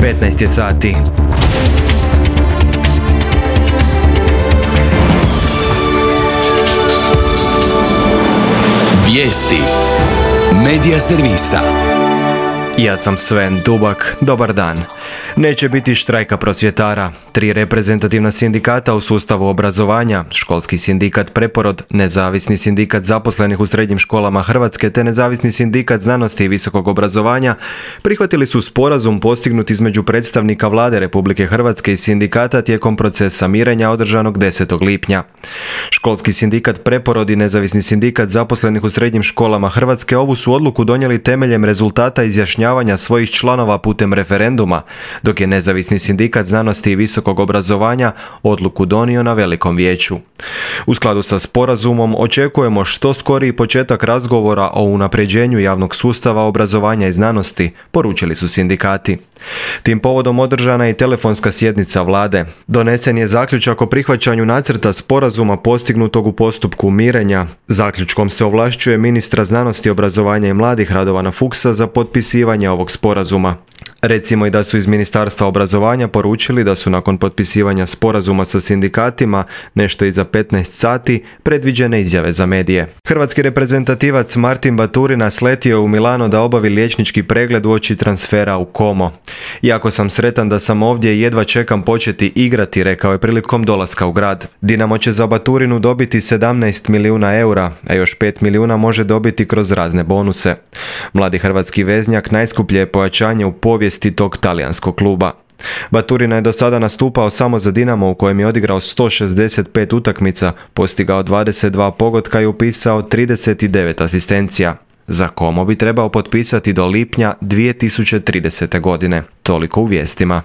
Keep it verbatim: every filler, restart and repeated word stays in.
petnaest je sati. Vijesti Medija servisa. Ja sam Sven Dubak, dobar dan. Neće biti štrajka prosvjetara. Tri reprezentativna sindikata u sustavu obrazovanja, Školski sindikat Preporod, Nezavisni sindikat zaposlenih u srednjim školama Hrvatske te Nezavisni sindikat znanosti i visokog obrazovanja, prihvatili su sporazum postignut između predstavnika Vlade Republike Hrvatske i sindikata tijekom procesa mirenja održanog desetog lipnja. Školski sindikat Preporod i Nezavisni sindikat zaposlenih u srednjim školama Hrvatske ovu su odluku donijeli temeljem rezultata izjašnjavanja svojih članova putem referenduma, dok je Nezavisni sindikat znanosti i visokog obrazovanja odluku donio na velikom vijeću. U skladu sa sporazumom očekujemo što skoriji početak razgovora o unapređenju javnog sustava obrazovanja i znanosti, poručili su sindikati. Tim povodom održana je i telefonska sjednica Vlade. Donesen je zaključak o prihvaćanju nacrta sporazuma postignutog u postupku mirenja. Zaključkom se ovlašćuje ministra znanosti, obrazovanja i mladih Radovana Fuchsa za potpisivanje ovog sporazuma. Recimo i da su iz Ministarstva obrazovanja poručili da su nakon potpisivanja sporazuma sa sindikatima, nešto iza petnaest sati, predviđene izjave za medije. Hrvatski reprezentativac Martin Baturina sletio je u Milano da obavi liječnički pregled uoči transfera u Como. Jako sam sretan da sam ovdje i jedva čekam početi igrati, rekao je prilikom dolaska u grad. Dinamo će za Baturinu dobiti sedamnaest milijuna eura, a još pet milijuna može dobiti kroz razne bonuse. Mladi hrvatski veznjak najskuplje je pojačanje u povijesti tog talijanskog kluba. Baturina je do sada nastupao samo za Dinamo u kojem je odigrao sto šezdeset pet utakmica, postigao dvadeset dva pogotka i upisao trideset devet asistencija. Za Como bi trebao potpisati do lipnja dvije tisuće tridesete godine. Toliko u vijestima.